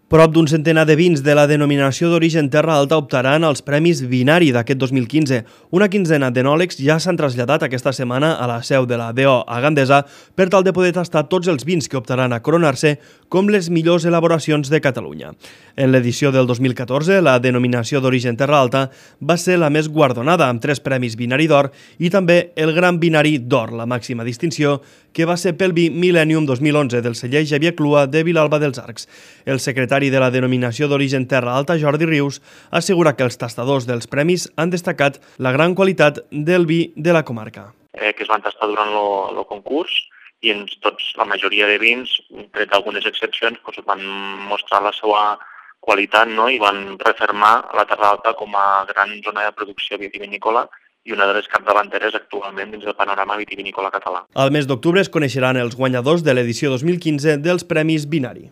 Prop d'un centenar de vins de la denominació d'origen Terra Alta optaran als Premis Vinari d'aquest 2015. Una quinzena d'enòlegs ja s'han traslladat aquesta setmana a la seu de la DO a Gandesa per tal de poder tastar tots els vins que optaran a coronar-se com les millors elaboracions de Catalunya. En l'edició del 2014, la denominació d'origen Terra Alta va ser la més guardonada, amb 3 Premis Vinari d'Or i també el Gran Vinari d'Or, la màxima distinció, que va ser pel vi Millennium 2011 del celler Xavier Clua de Vilalba dels Arcs. El secretari de la denominació d'origen Terra Alta, Jordi Rius, assegura que els tastadors dels premis han destacat la gran qualitat del vi de la comarca. Que es van tastar durant el concurs i la majoria de vins, tret d'algunes excepcions, van mostrar la seva qualitat, no? I van refermar la Terra Alta com a gran zona de producció vitivinícola i una de les capdavanteres actualment dins del panorama vitivinícola català. Al mes d'octubre es coneixeran els guanyadors de l'edició 2015 dels Premis Vinari.